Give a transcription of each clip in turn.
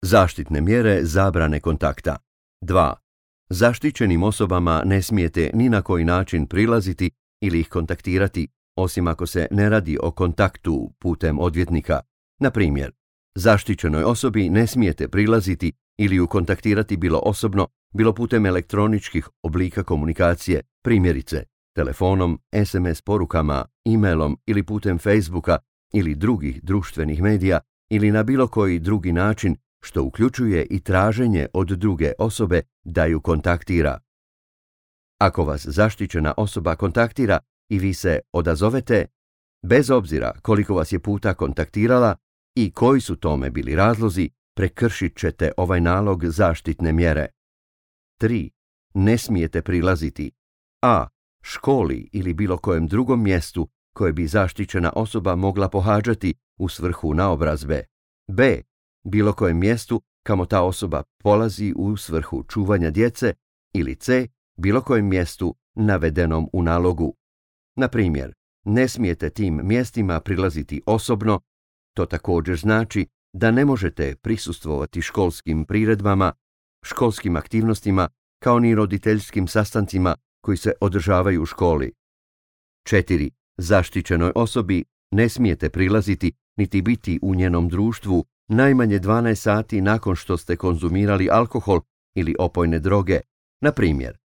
Zaštitne mjere zabrane kontakta. 2. Zaštićenim osobama ne smijete ni na koji način prilaziti ili ih kontaktirati, osim ako se ne radi o kontaktu putem odvjetnika. Na primjer, zaštićenoj osobi ne smijete prilaziti ili ju kontaktirati bilo osobno, bilo putem elektroničkih oblika komunikacije, primjerice telefonom, SMS porukama, e-mailom ili putem Facebooka ili drugih društvenih medija ili na bilo koji drugi način, što uključuje i traženje od druge osobe da ju kontaktira. Ako vas zaštićena osoba kontaktira i vi se odazovete, bez obzira koliko vas je puta kontaktirala i koji su tome bili razlozi, prekršit ćete ovaj nalog zaštitne mjere. 3. Ne smijete prilaziti a. školi ili bilo kojem drugom mjestu koje bi zaštićena osoba mogla pohađati u svrhu naobrazbe, b. bilo kojem mjestu kamo ta osoba polazi u svrhu čuvanja djece ili c. bilo kojem mjestu navedenom u nalogu. Na primjer, ne smijete tim mjestima prilaziti osobno, to također znači da ne možete prisustvovati školskim priredbama, školskim aktivnostima kao ni roditeljskim sastancima koji se održavaju u školi. 4. Zaštićenoj osobi ne smijete prilaziti niti biti u njenom društvu najmanje 12 sati nakon što ste konzumirali alkohol ili opojne droge. Na primjer,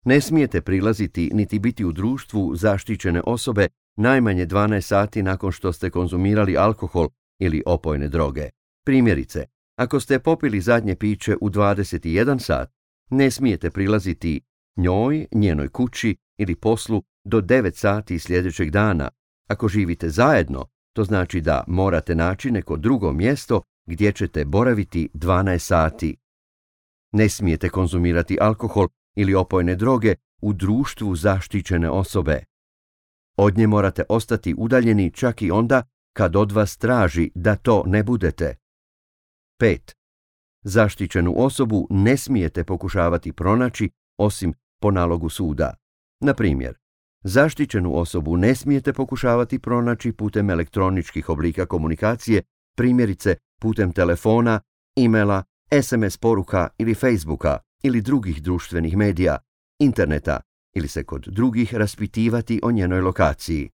ne smijete prilaziti niti biti u društvu zaštićene osobe najmanje 12 sati nakon što ste konzumirali alkohol ili opojne droge. Primjerice, ako ste popili zadnje piće u 21 sat, ne smijete prilaziti njoj, njenoj kući ili poslu do 9 sati sljedećeg dana. Ako živite zajedno, to znači da morate naći neko drugo mjesto gdje ćete boraviti 12 sati. Ne smijete konzumirati alkohol ili opojne droge u društvu zaštićene osobe. Od nje morate ostati udaljeni čak i onda kad od vas traži da to ne budete. 5. Zaštićenu osobu ne smijete pokušavati pronaći osim po nalogu suda. Na primjer, zaštićenu osobu ne smijete pokušavati pronaći putem elektroničkih oblika komunikacije, primjerice putem telefona, e-maila, SMS poruka ili Facebooka ili drugih društvenih medija, interneta ili se kod drugih raspitivati o njenoj lokaciji.